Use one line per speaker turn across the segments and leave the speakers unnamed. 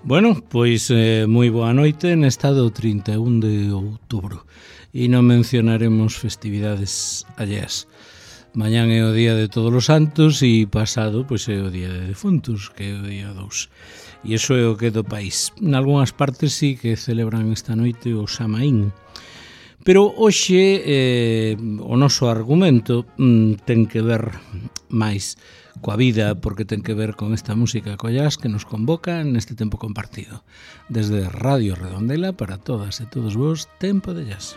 Bueno, pois moi boa noite nesta do 31 de outubro e non mencionaremos festividades alleas. Mañán é o día de todos os santos e pasado pois é o día de defuntos, que é o día 2. E iso é o que é do país. Nalgúnas partes sí que celebran esta noite o Samaín. Pero hoxe o noso argumento ten que ver máis coa vida, porque ten que ver con esta música collás que nos convoca neste tempo compartido. Desde Radio Redondela para todas e todos vos, Tempo de Jazz.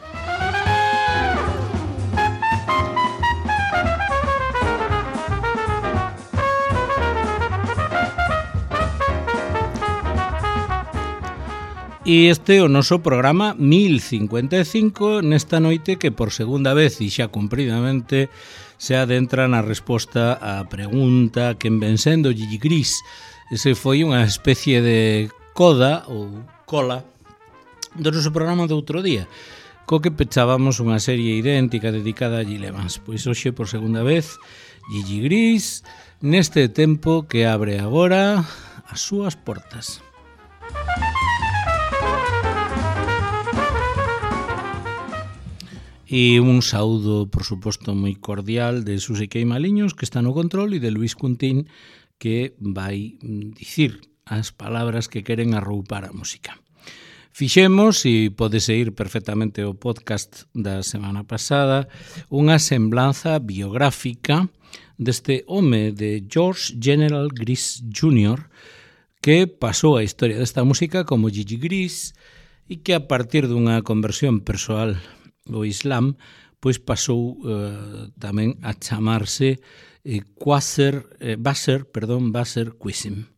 E este é o noso programa 1055 nesta noite que por segunda vez e xa cumpridamente se adentra na resposta á pregunta quen ven sendo Gigi Gris. Ese foi unha especie de coda ou cola do noso programa de outro día, co que pechábamos unha serie idéntica dedicada a Gil Evans. Pois hoxe por segunda vez Gigi Gris neste tempo que abre agora as súas portas. E un saúdo, por suposto, moi cordial de Susi Queimaliños, que está no control, e de Luis Cuntín, que vai dicir as palabras que queren arroupar a música. Fixemos, e pode seguir perfectamente o podcast da semana pasada, unha semblanza biográfica deste home de George General Gris Jr., que pasou a historia desta música como Gigi Gris e que a partir dunha conversión persoal o Islam, pois pasou tamén a chamarse Basser Qasim.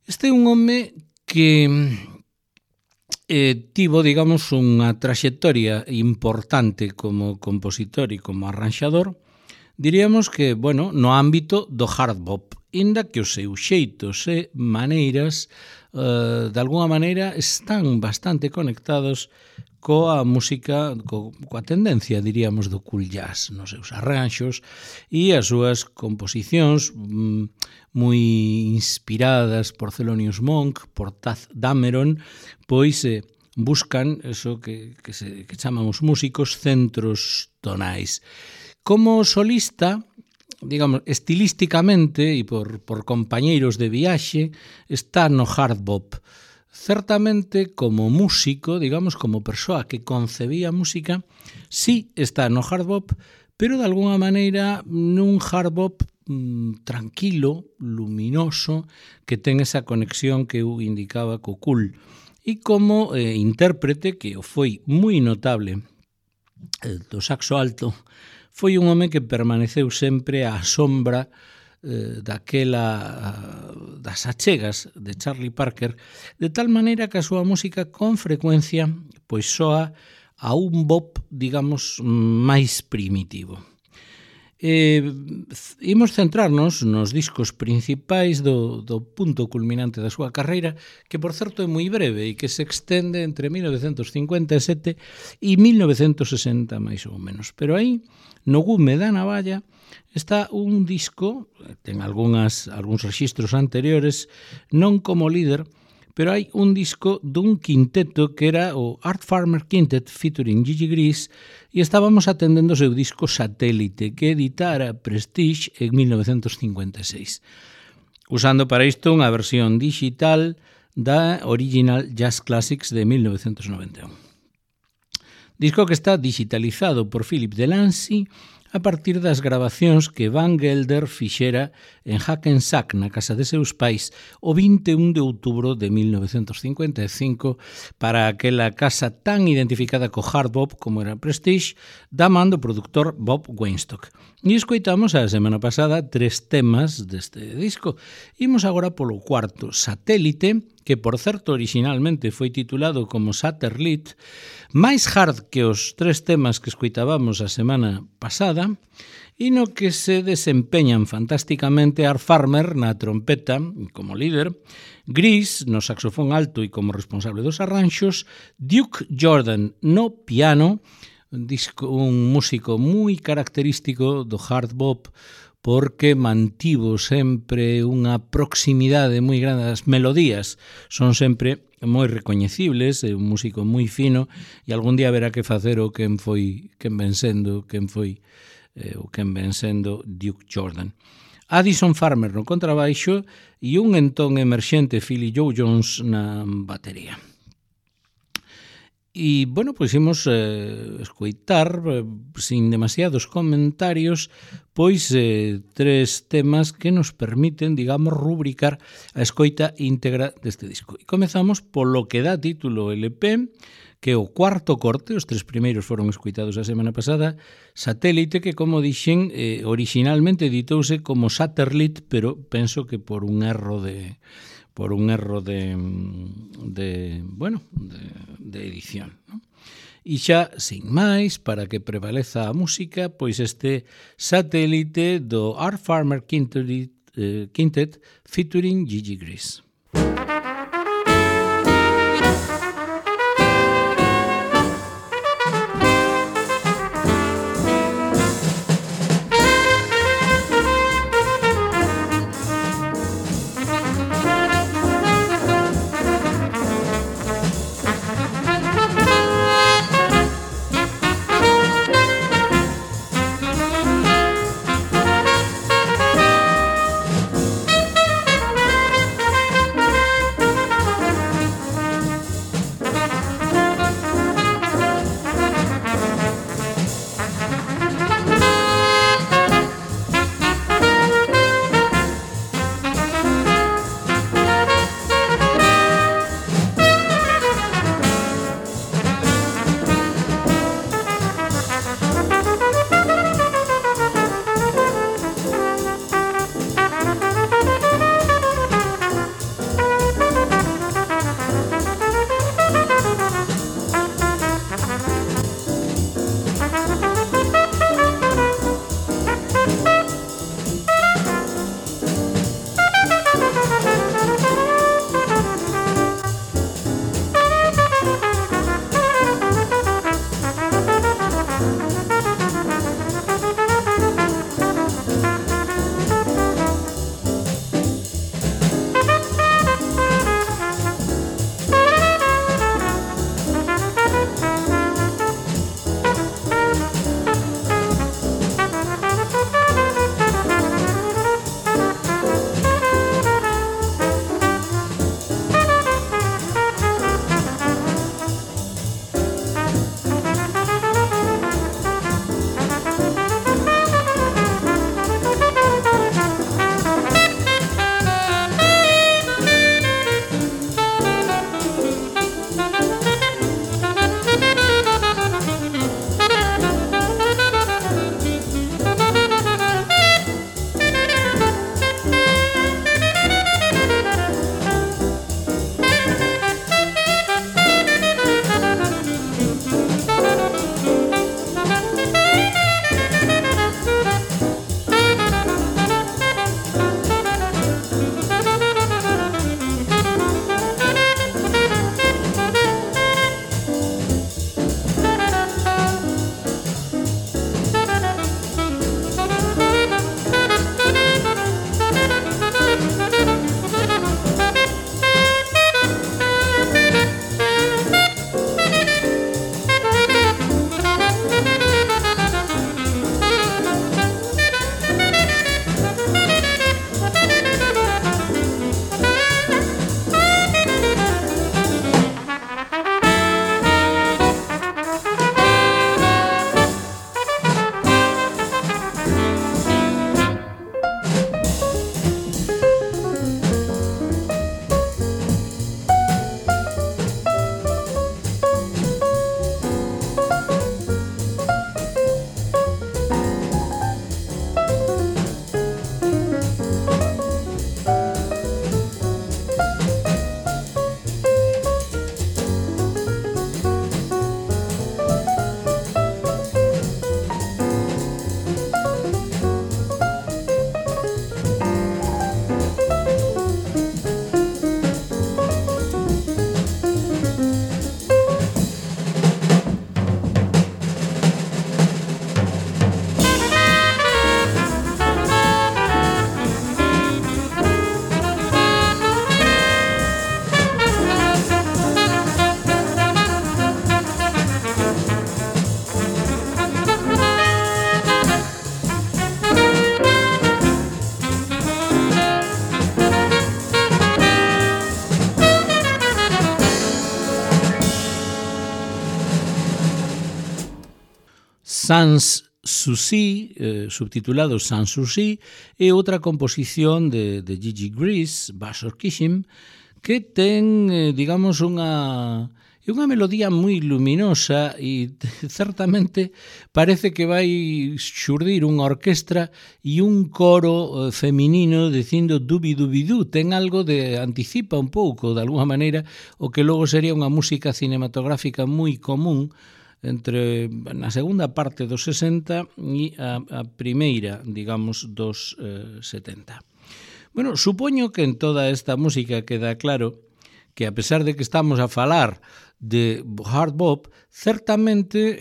Este é un home que tivo, digamos, unha traxectoria importante como compositor e como arranxador, diríamos que, bueno, no ámbito do hard bop, inda que os seus xeitos e maneiras, de alguna maneira, están bastante conectados coa música, coa tendencia, diríamos, do cool jazz nos seus arranxos e as súas composicións moi inspiradas por Thelonious Monk, por Taff Dameron, pois buscan eso que chaman os músicos centros tonais. Como solista, digamos, estilísticamente e por compañeiros de viaxe, está no hard bop. Certamente, como músico, digamos, como persoa que concebía música, sí está no hard bop, pero de alguna maneira nun hard bop tranquilo, luminoso, que ten esa conexión que eu indicaba co cool. E como intérprete, que foi moi notable do saxo alto, foi un home que permaneceu sempre á sombra das achegas de Charlie Parker, de tal maneira que a súa música con frecuencia pois soa a un bop, digamos, máis primitivo. Imos centrarnos nos discos principais do punto culminante da súa carreira, que por certo é moi breve e que se extende entre 1957 e 1960 máis ou menos, pero aí no gume da navalla está un disco, ten algúns rexistros anteriores, non como líder, pero hai un disco dun quinteto que era o Art Farmer Quintet featuring Gigi Gris e estábamos atendendo o seu disco Satélite que editara Prestige en 1956, usando para isto unha versión digital da Original Jazz Classics de 1991. Disco que está digitalizado por Philip Delancey a partir das grabacións que Van Gelder fixera en Hackensack, na casa de seus pais, o 21 de outubro de 1955, para aquela casa tan identificada co hard bop como era Prestige, da man do produtor Bob Weinstock. E escoitamos a semana pasada 3 temas deste disco. Imos agora polo cuarto, Satélite, que por certo originalmente foi titulado como Satellite, máis hard que os 3 temas que escoitábamos a semana pasada, e no que se desempeñan fantásticamente Art Farmer na trompeta como líder, Gris no saxofón alto e como responsable dos arranxos, Duke Jordan no piano, un músico moi característico do hard bop, porque mantivo sempre unha proximidade moi grande. As melodías son sempre moi recoñecibles, é un músico moi fino, e algún día verá que facer o quen ven sendo Duke Jordan. Addison Farmer no contrabaixo e un entón emerxente Philly Joe Jones na batería. E, bueno, pois imos escoitar, sin demasiados comentarios, pois tres temas que nos permiten, digamos, rubricar a escoita íntegra deste disco. E comezamos polo que dá título LP, que é o cuarto corte, os tres primeiros foron escoitados a semana pasada, Satélite, que, como dixen, originalmente editouse como Satellite, pero penso que por un erro de edición, ¿no? E xa, sin máis, para que prevaleza a música, pois este Satélite do Art Farmer Quintet featuring Gigi Gris. Sans Souci, subtitulado Sans Souci, e outra composición de Gigi Gris, Bashor Kishim, que ten, digamos, unha melodía moi luminosa e certamente parece que vai xurdir unha orquestra e un coro feminino dicindo dubi-dubi-du. Ten algo de anticipa un pouco, de alguma maneira, o que logo sería unha música cinematográfica moi común entre na segunda parte dos 60 e a primeira, digamos, dos 70. Bueno, supoño que en toda esta música queda claro que a pesar de que estamos a falar de hard bop, certamente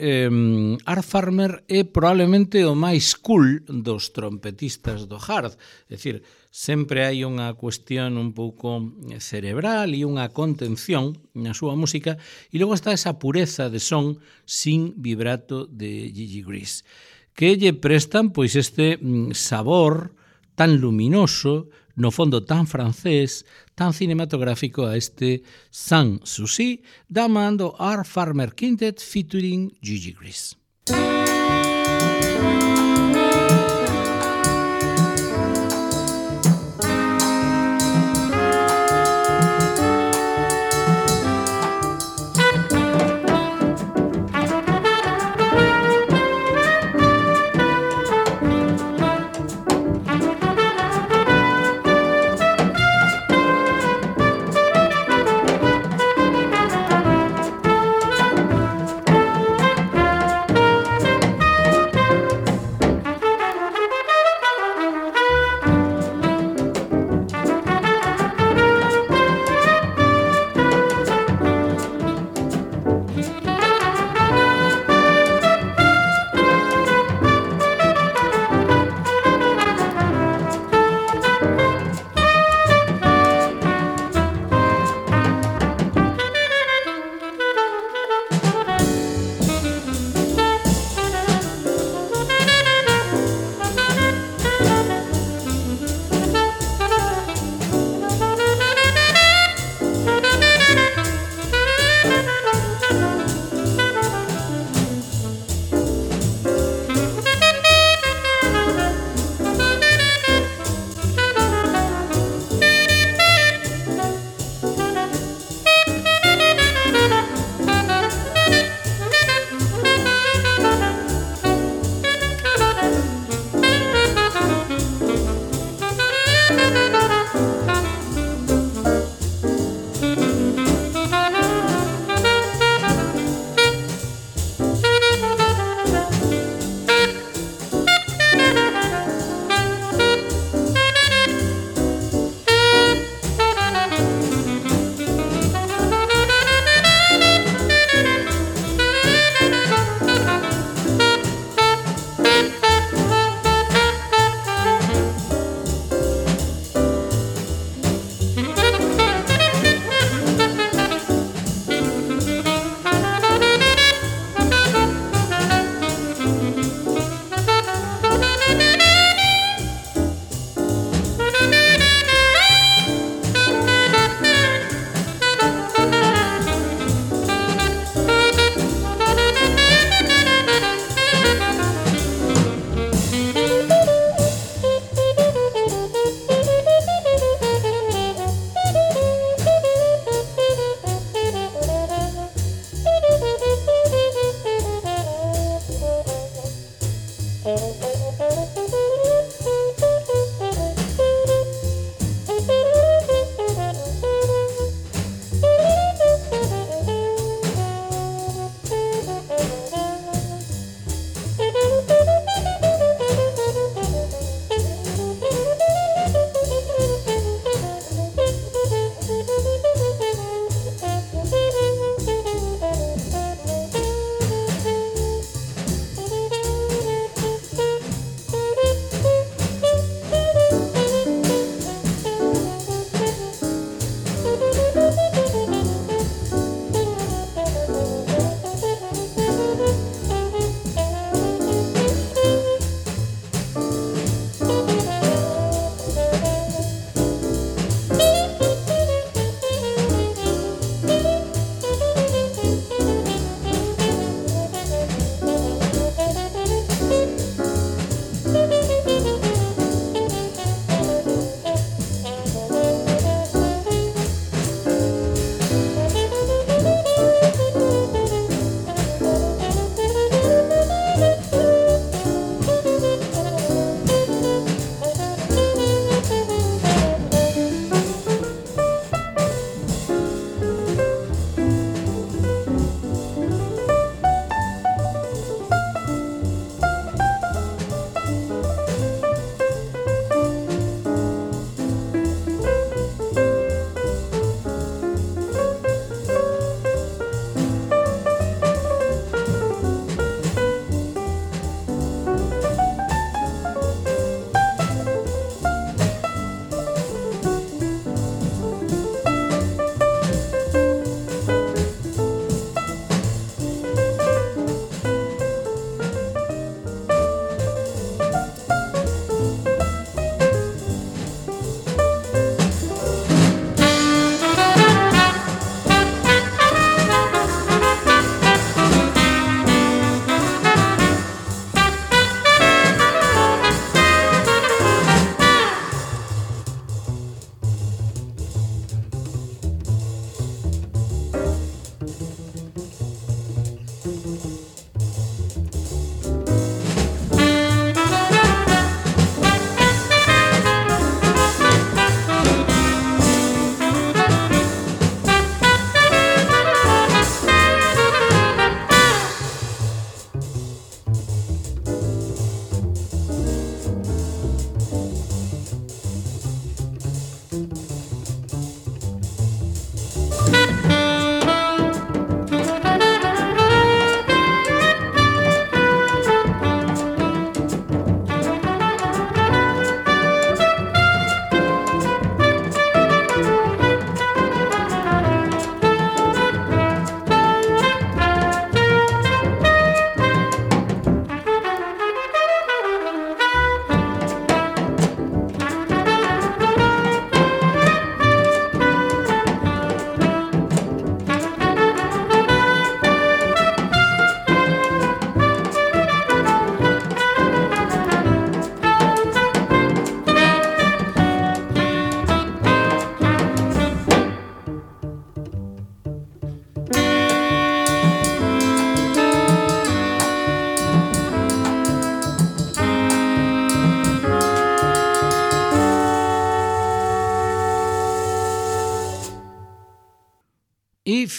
Art Farmer é probablemente o máis cool dos trompetistas do hard. É dicir, sempre hai unha cuestión un pouco cerebral e unha contención na súa música, e logo está esa pureza de son sin vibrato de Gigi Gris, que lle prestan pois este sabor tan luminoso, no fondo tan francés, tan cinematográfico a este Sans Souci da man do Art Farmer Quintet featuring Gigi Gris.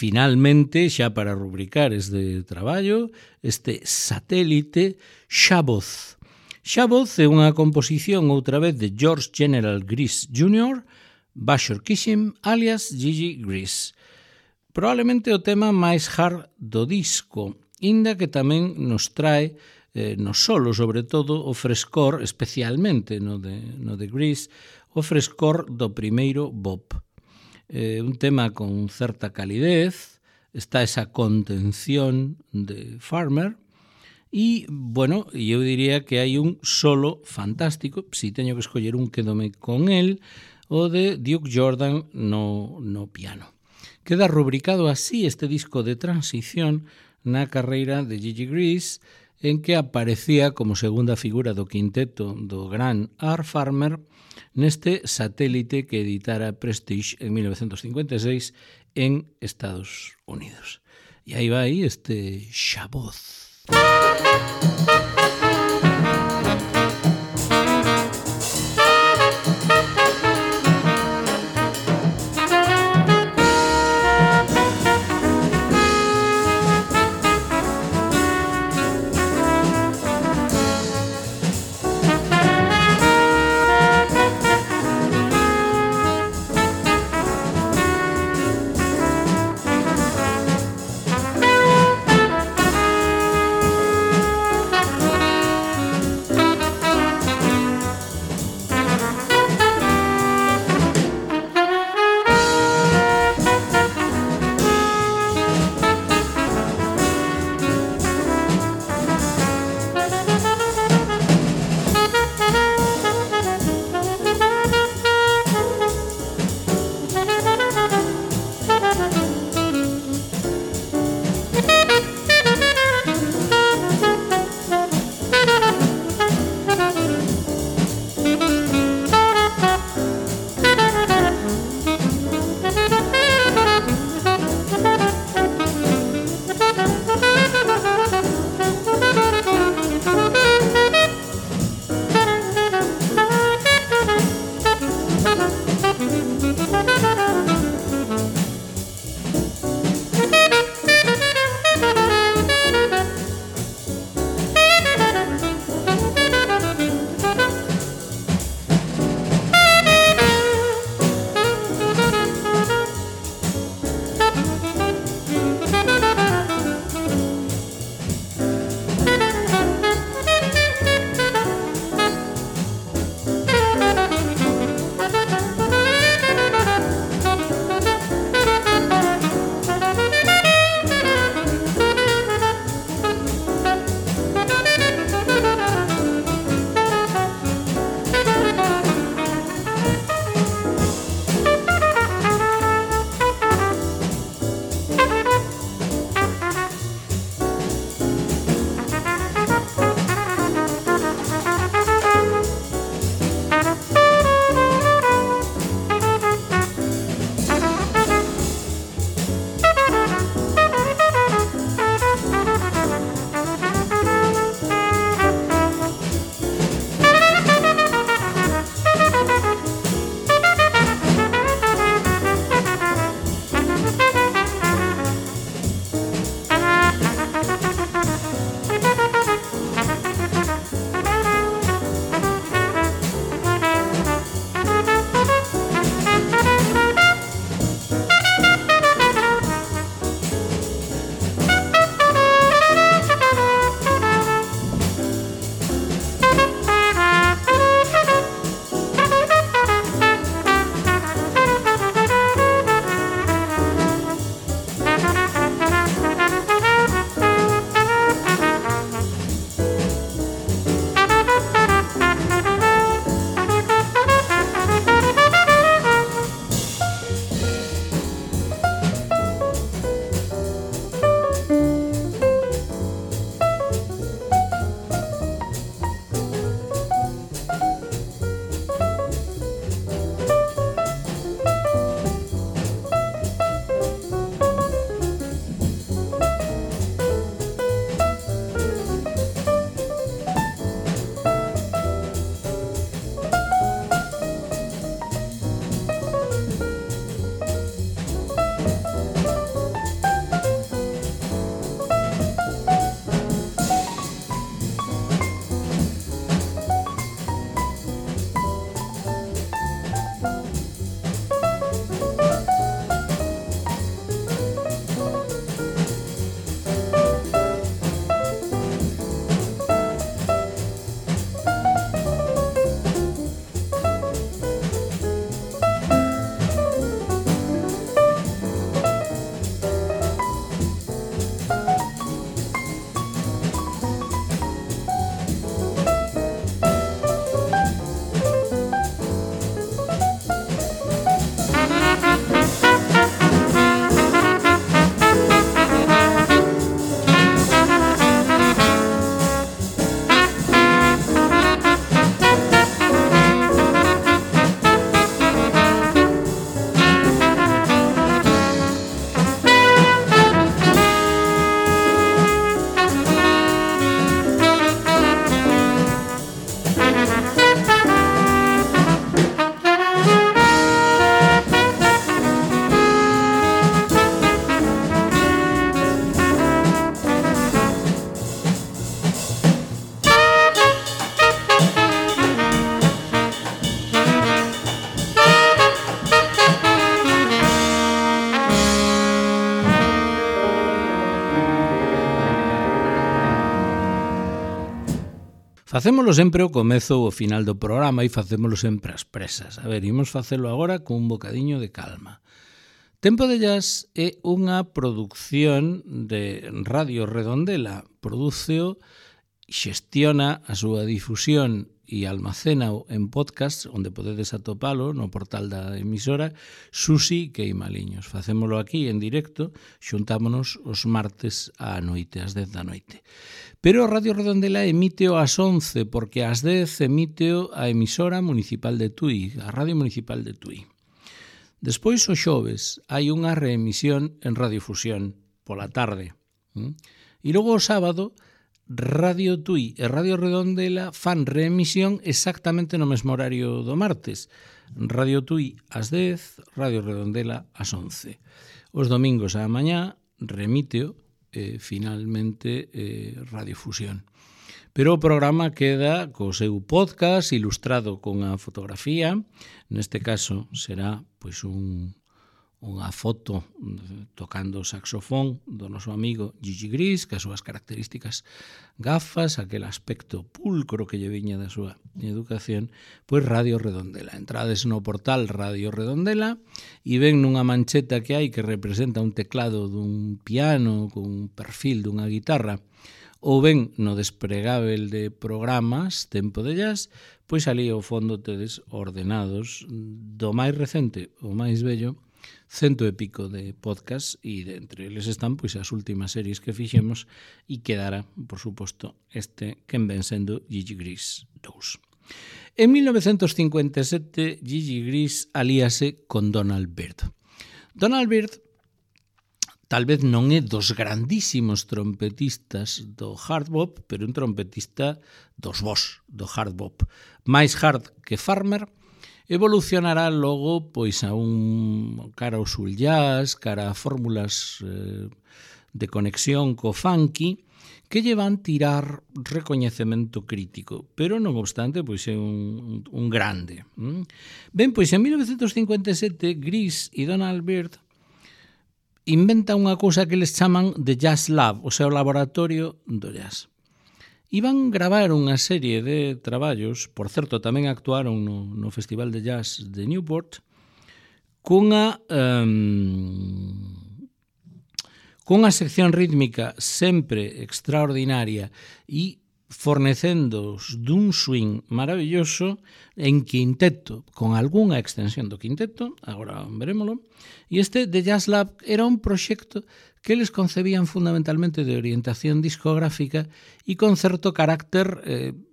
finalmente, xa para rubricar este traballo, este satélite Shabboth. Shabboth é unha composición outra vez de George General Gris Jr., Bashor Kishim, alias Gigi Gris. Probablemente o tema máis hard do disco, inda que tamén nos trae, no solo sobre todo, o frescor, especialmente no de Gris, o frescor do primeiro bop. Un tema con certa calidez, está esa contención de Farmer, e, bueno, eu diría que hai un solo fantástico, si teño que escoller un, quedome con el, o de Duke Jordan no piano. Queda rubricado así este disco de transición na carreira de Gigi Gris, en que aparecía como segunda figura do quinteto do gran Art Farmer neste satélite que editara Prestige en 1956 en Estados Unidos. E aí vai este Shabboth. Facémolo sempre ao comezo ou ao final do programa e facémolo sempre ás presas. A ver, imos facelo agora con un bocadiño de calma. Tempo de Jazz é unha produción de Radio Redondela. Prodúceo, xestiona a súa difusión e almacénao en podcast, onde podedes atopalo no portal da emisora Susi Queimaliños. Facémolo aquí en directo, xuntámonos os martes á noite, ás 10 da noite. Pero Radio Redondela emíteo ás 11, porque ás 10 emíteo a emisora municipal de Tui, a Radio Municipal de Tui. Despois, o xoves, hai unha reemisión en Radiofusión, pola tarde. E logo o sábado, Radio Tui e Radio Redondela fan reemisión exactamente no mesmo horario do martes. Radio Tui ás 10, Radio Redondela ás 11. Os domingos á mañá remíteo finalmente Radiofusión. Pero o programa queda co seu podcast ilustrado con a fotografía. Neste caso será pois unha foto tocando o saxofón do noso amigo Gigi Gris, que as súas características gafas, aquel aspecto pulcro que lle viña da súa educación, pois Radio Redondela. Entrades no portal Radio Redondela e ven nunha mancheta que hai que representa un teclado dun piano con un perfil dunha guitarra, ou ben no despregável de programas Tempo de Jazz, pois ali ao fondo tedes ordenados do máis recente ao máis bello, 100 e pico de podcast, e entre eles están pois as últimas series que fixemos, e quedará, por suposto, este quen ven sendo Gigi Gris 2. En 1957, Gigi Gris alíase con Donald Byrd. Donald Byrd tal vez non é dos grandísimos trompetistas do hard bop, pero un trompetista dos bos do hard bop. Máis hard que Farmer, evolucionará logo pois a un cara ao soul jazz, cara a fórmulas de conexión co funky, que lle van tirar recoñecemento crítico, pero non obstante pois é un grande. Ben, pois en 1957 Gris e Donald Byrd inventa unha cousa que les chaman The Jazz Lab, o seu laboratorio do jazz. Iban gravar unha serie de traballos, por certo, tamén actuaron no Festival de Jazz de Newport, cunha sección rítmica sempre extraordinaria e fornecendos dun swing maravilloso en quinteto, con algunha extensión do quinteto, agora verémolo, e este The Jazz Lab era un proxecto que eles concebían fundamentalmente de orientación discográfica e con certo carácter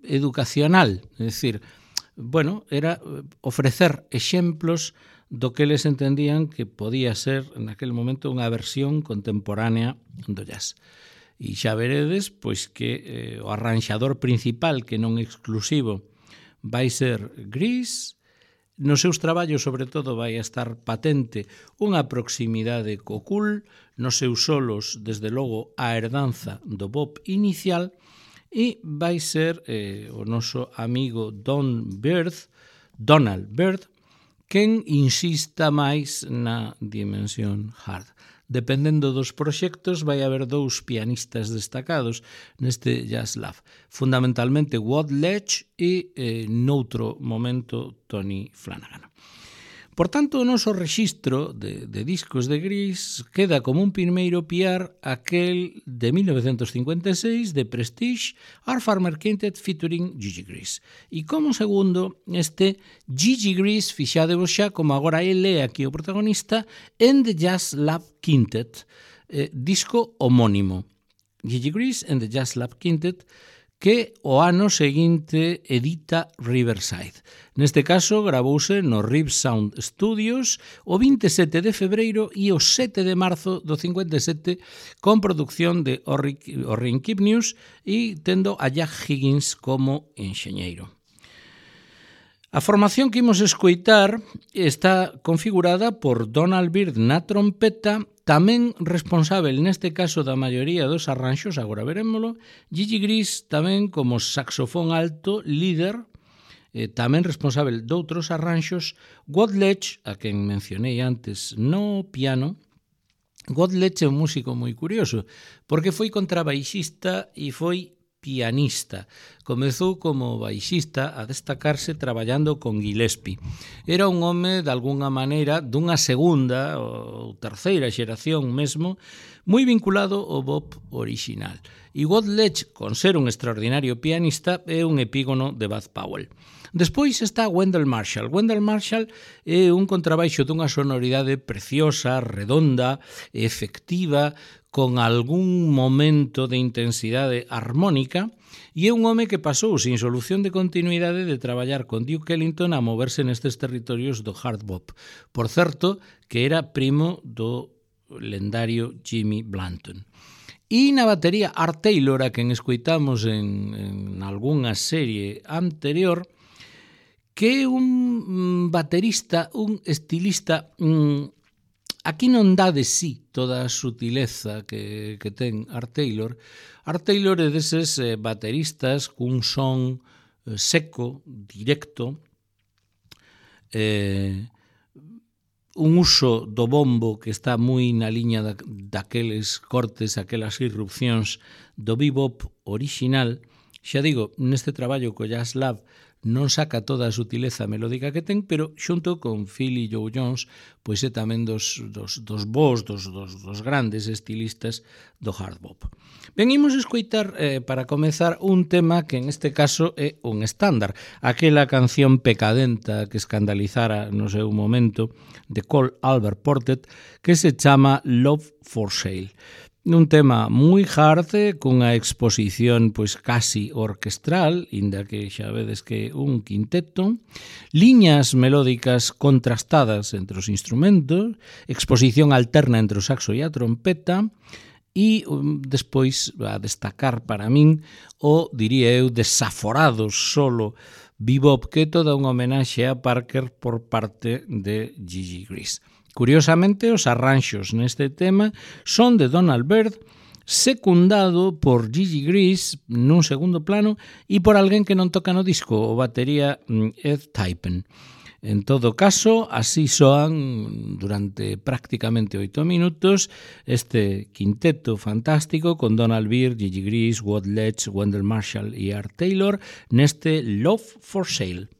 educacional, é dicir, bueno, era ofrecer exemplos do que eles entendían que podía ser naquele momento unha versión contemporánea do jazz. E xa veredes pois que o arranxador principal, que non exclusivo, vai ser Gris. Nos seus traballos, sobre todo, vai a estar patente unha proximidade co cool, nos seus solos, desde logo, a herdanza do bop inicial, e vai ser o noso amigo Donald Byrd, quen insista máis na dimensión hard. Dependendo dos proxectos, vai haber dous pianistas destacados neste Jazz Lab. Fundamentalmente Walt Ledge e, noutro momento, Tony Flanagan. Por tanto, o noso rexistro de discos de Gris queda como un primeiro piar aquel de 1956 de Prestige, Art Farmer Quintet featuring Gigi Gris. E como segundo, este Gigi Gris, fixadevos xa como agora ele é aquí o protagonista, en The Jazz Lab Quintet, disco homónimo. Gigi Gris en The Jazz Lab Quintet, que o ano seguinte edita Riverside. Neste caso, gravouse no Rib Sound Studios o 27 de febreiro e o 7 de marzo do 57 con producción de Orrin Kipnius e tendo a Jack Higgins como enxeñeiro. A formación que imos escoitar está configurada por Donald Byrd na trompeta, tamén responsável neste caso da maioría dos arranxos, agora verémolo, Gigi Gris tamén como saxofón alto, líder, tamén responsável doutros arranxos, Walt Ledge, a quen mencionei antes no piano. Walt Ledge é un músico moi curioso, porque foi contrabaixista e foi pianista. Comezou como baixista a destacarse traballando con Gillespie. Era un home, de alguna maneira, dunha segunda ou terceira xeración mesmo, moi vinculado ao bop original. E Woodledge, con ser un extraordinario pianista, é un epígono de Bud Powell. Despois está Wendell Marshall. Wendell Marshall é un contrabaixo dunha sonoridade preciosa, redonda, efectiva, con algún momento de intensidade armónica, e é un home que pasou sin solución de continuidade de traballar con Duke Ellington a moverse nestes territorios do hard bop. Por certo, que era primo do lendario Jimmy Blanton. E na batería Art Taylor, a quen escoitamos en algunha serie anterior, que é un baterista, un estilista. Aquí non dá de sí toda a sutileza que ten Art Taylor. Art Taylor é deses bateristas cun son seco, directo, un uso do bombo que está moi na liña daqueles cortes, aquelas irrupcións do bebop original. Xa digo, neste traballo co Jazz Lab non saca toda a sutileza melódica que ten, pero xunto con Phil e Joe Jones, pois é tamén dos bons, dos grandes estilistas do hard bop. Ben, imos escoitar, para comezar, un tema que en este caso é un estándar, aquela canción pecadenta que escandalizara no seu momento de Cole Albert Portet, que se chama Love for Sale. Un tema moi hard, cunha exposición pois casi orquestral, inda que xa vedes que un quinteto, liñas melódicas contrastadas entre os instrumentos, exposición alterna entre o saxo e a trompeta, e despois a destacar para min o, diría eu, desaforado solo bebop, que é toda unha homenaxe a Parker por parte de Gigi Gris. Curiosamente, os arranxos neste tema son de Donald Byrd, secundado por Gigi Gris nun segundo plano e por alguén que non toca no disco, o batería Ed Typen. En todo caso, así soan durante prácticamente 8 minutos este quinteto fantástico con Donald Byrd, Gigi Gris, Woodledge, Wendell Marshall e Art Taylor neste Love for Sale.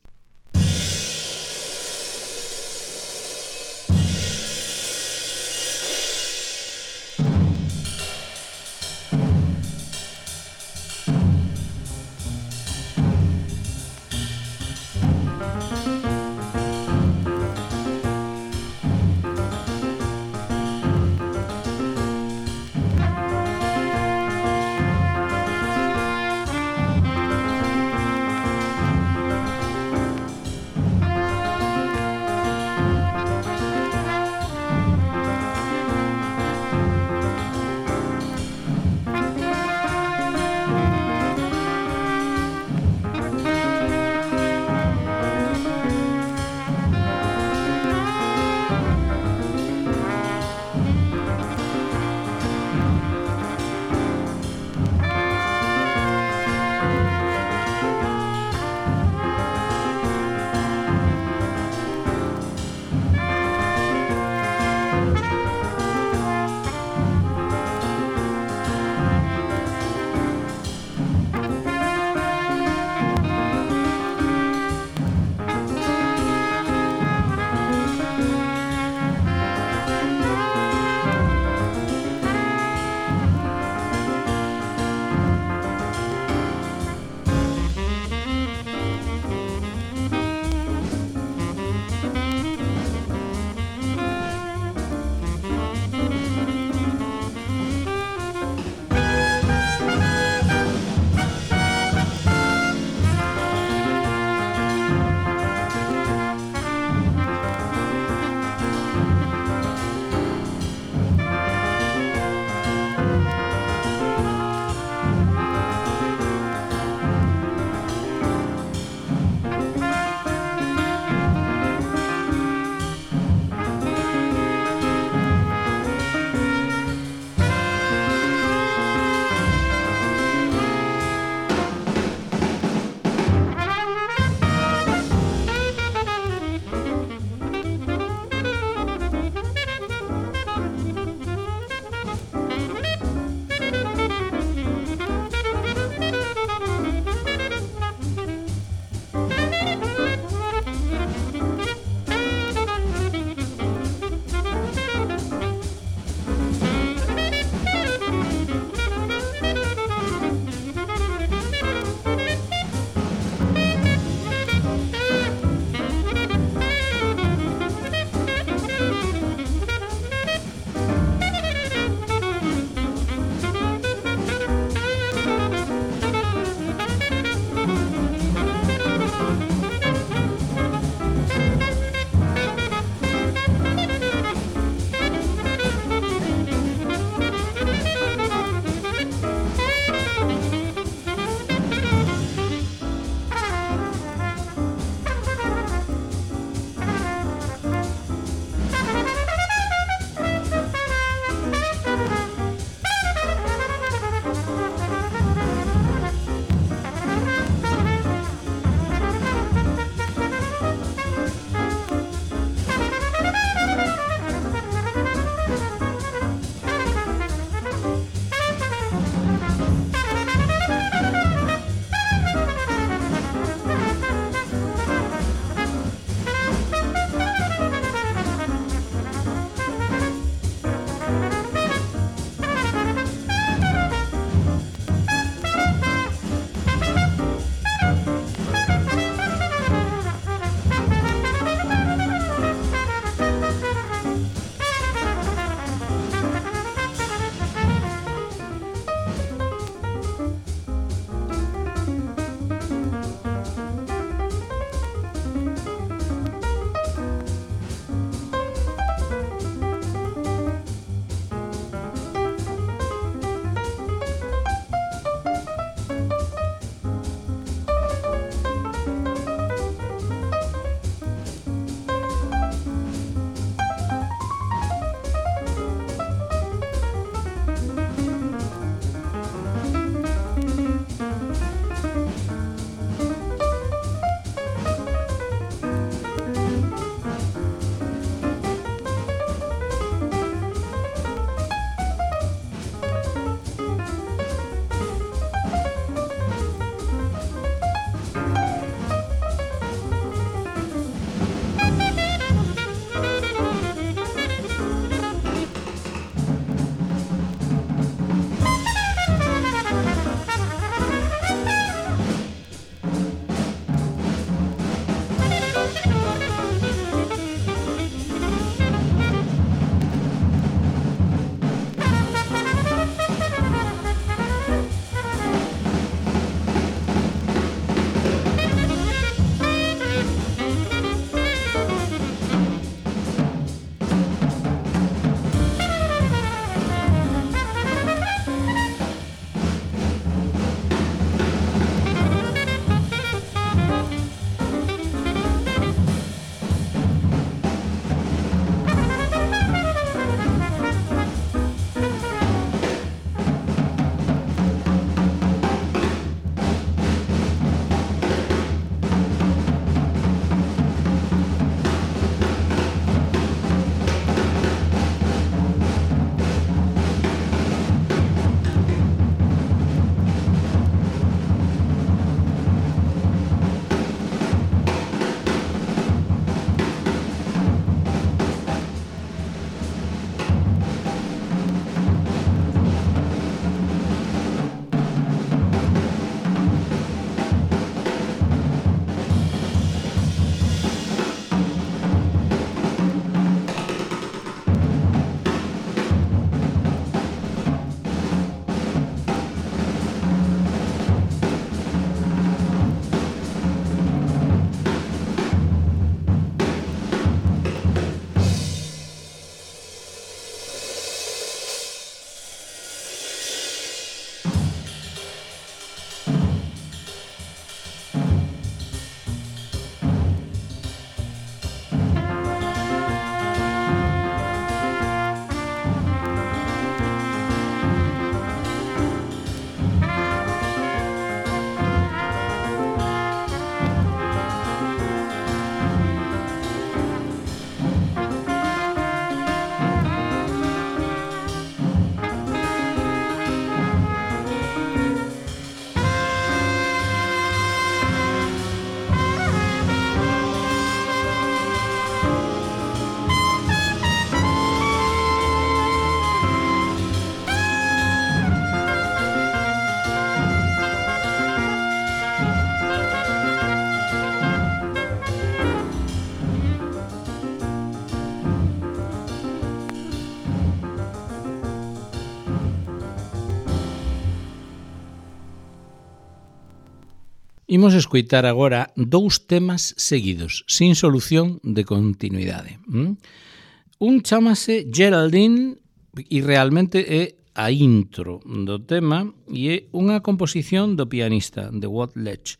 Imos escoitar agora 2 temas seguidos, sin solución de continuidade. Un chamase Geraldine e realmente é a intro do tema e é unha composición do pianista, de Watt Ledge.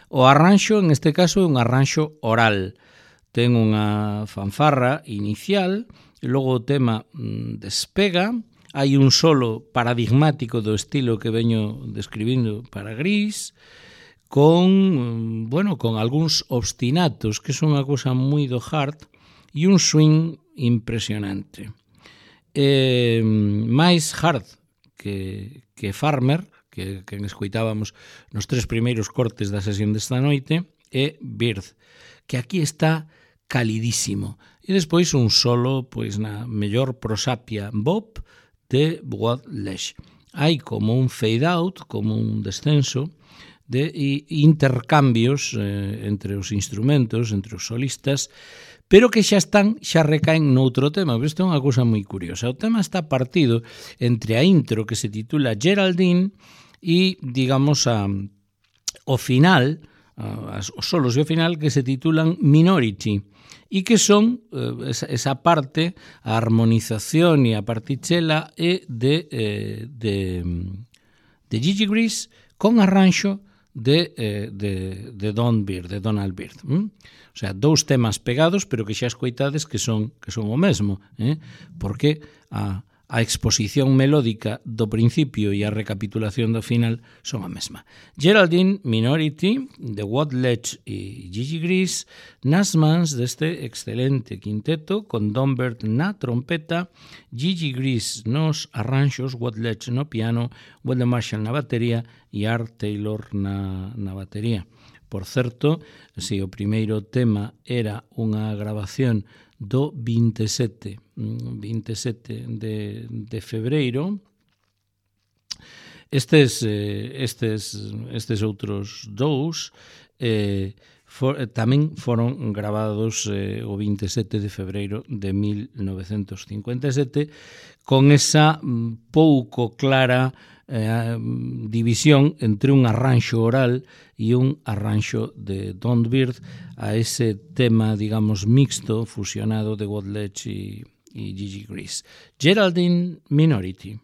O arranxo, en este caso, é un arranxo oral. Ten unha fanfarra inicial e logo o tema despega. Hai un solo paradigmático do estilo que veño describindo para Gris, con algúns obstinatos, que son unha cousa moi do hard, e un swing impresionante. Máis hard que Farmer, que escoitábamos nos 3 primeiros cortes da sesión desta noite, é Bird, que aquí está calidísimo. E despois un solo, pois na mellor prosapia Bob de Watt Ledge. Hai como un fade out, como un descenso, de intercambios entre os instrumentos, entre os solistas, pero que xa recaen noutro tema. Isto é unha cousa moi curiosa. O tema está partido entre a intro que se titula Geraldine e, digamos, o final, os solos e o final que se titulan Minority, e que son esa parte, a armonización e a partichela é de Gigi Gris con arranxo de Donald Byrd. O sea, 2 temas pegados, pero que xa escoitades que son o mesmo, porque a exposición melódica do principio e a recapitulación do final son a mesma. Geraldine, Minority, de Watt Ledge e Gigi Gris, nas mans deste excelente quinteto, con Don Byrd na trompeta, Gigi Gris nos arranxos, Watt Ledge no piano, Wendell Marshall na batería e Art Taylor na batería. Por certo, se o primeiro tema era unha grabación do 27 de febreiro, estes outros 2 tamén foron grabados o 27 de febreiro de 1957, con esa pouco clara división entre un arranxo oral e un arranxo de Don Byrd a ese tema, digamos, mixto, fusionado de Watt Ledge e Gigi Gris. Geraldine, Minority.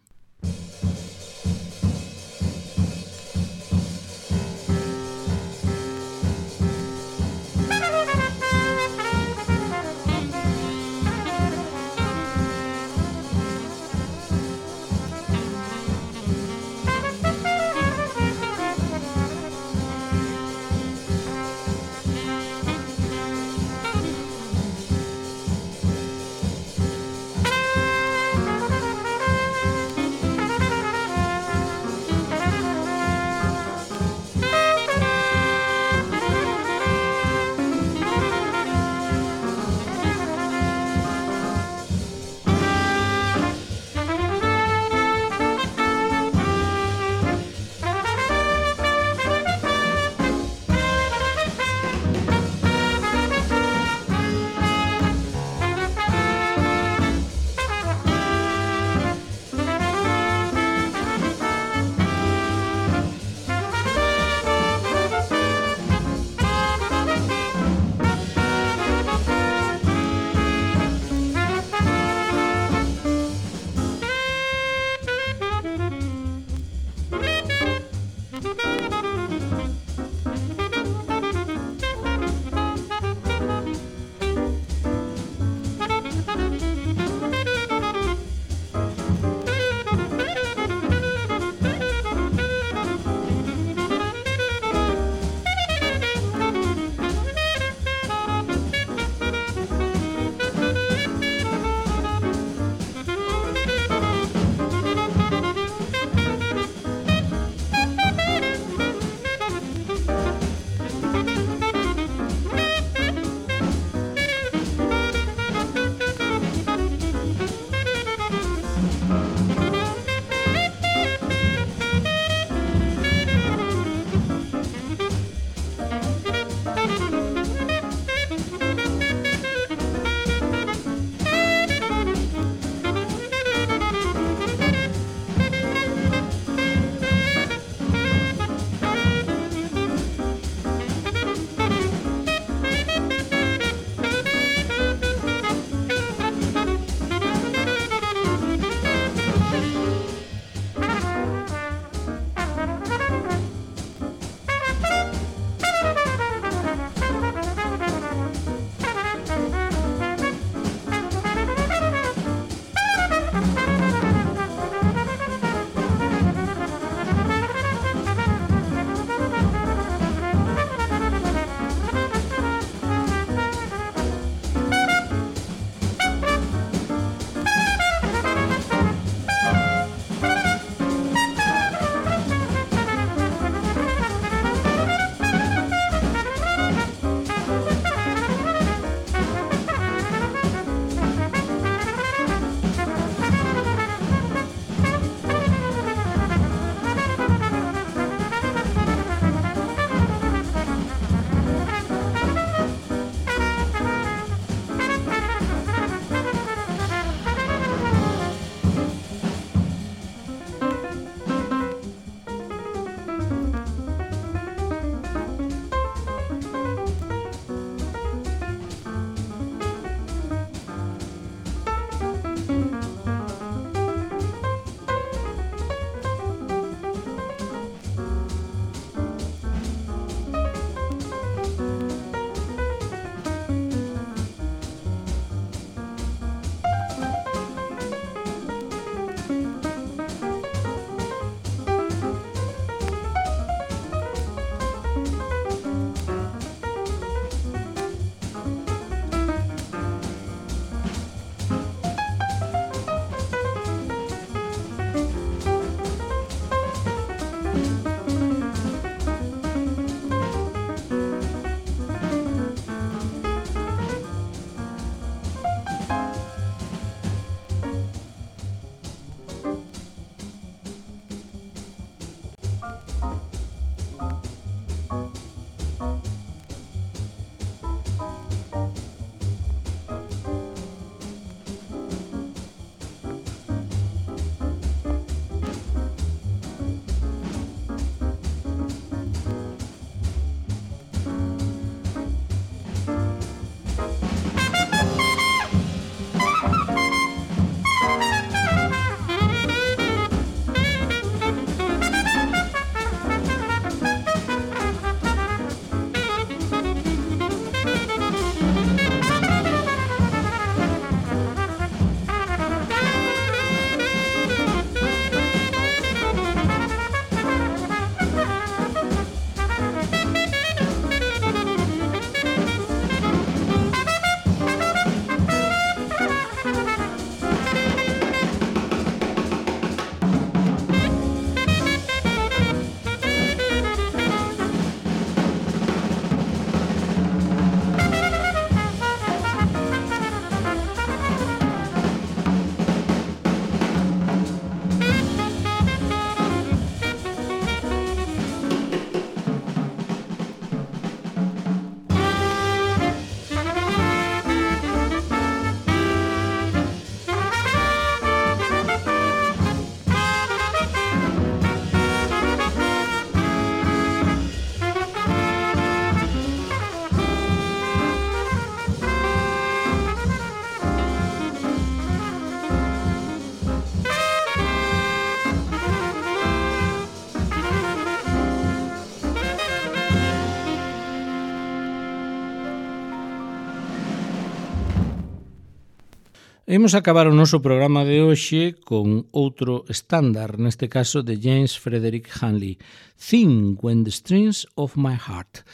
Imos acabar o noso programa de hoxe con outro estándar, neste caso de James Frederick Hanley, Sing When the Strings of My Heart.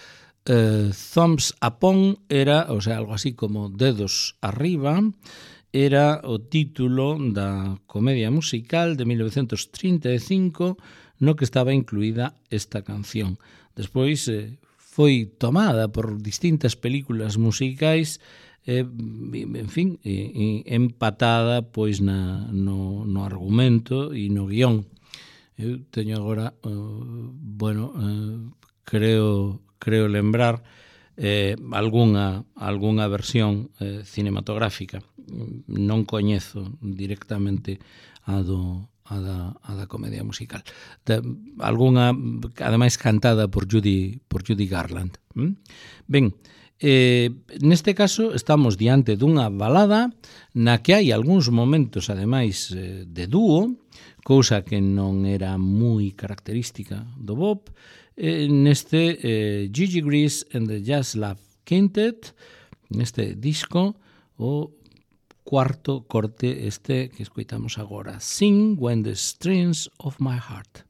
Thumbs Upon era, o sea, algo así como dedos arriba, era o título da comedia musical de 1935 no que estaba incluída esta canción. Despois foi tomada por distintas películas musicais, en fin, empatada pois no argumento e no guión. Eu teño agora, creo lembrar algunha versión cinematográfica. Non coñezo directamente a da comedia musical. Algunha, ademais, cantada por Judy Garland. Ben, neste caso estamos diante dunha balada na que hai algúns momentos, ademais, de dúo, cousa que non era moi característica do Bob, neste Gigi Grease and the Jazz Love Quintet, neste disco, o cuarto corte este que escoitamos agora, Sing When the Strings of My Heart.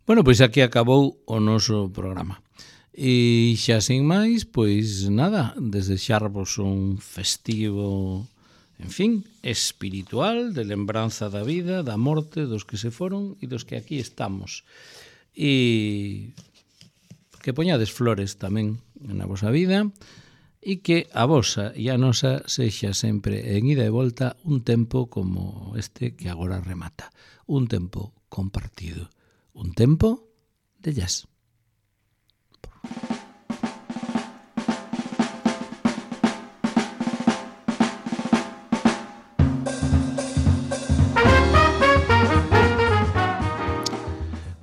Bueno, pois aquí acabou o noso programa. E xa sin máis, pois nada, desexarvos un festivo, en fin, espiritual, de lembranza da vida, da morte, dos que se foron e dos que aquí estamos. E que poñades flores tamén na vosa vida e que a vosa e a nosa sexa sempre en ida e volta un tempo como este que agora remata. Un tempo compartido. Un tempo de jazz.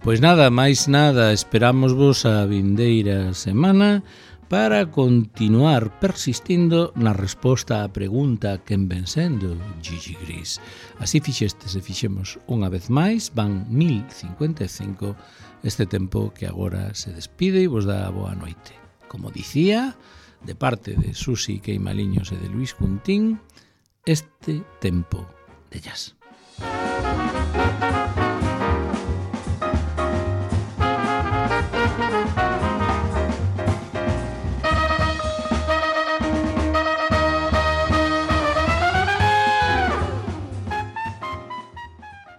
Pois nada, máis nada, esperámosvos a vindeira semana para continuar persistindo na resposta á pregunta quen ven sendo Gigi Gris. Así fixestes e fixemos unha vez máis, van 1055 este tempo que agora se despide e vos dá a boa noite. Como dicía, de parte de Susi Queimaliños e de Luis Cuntín, este tempo de jazz.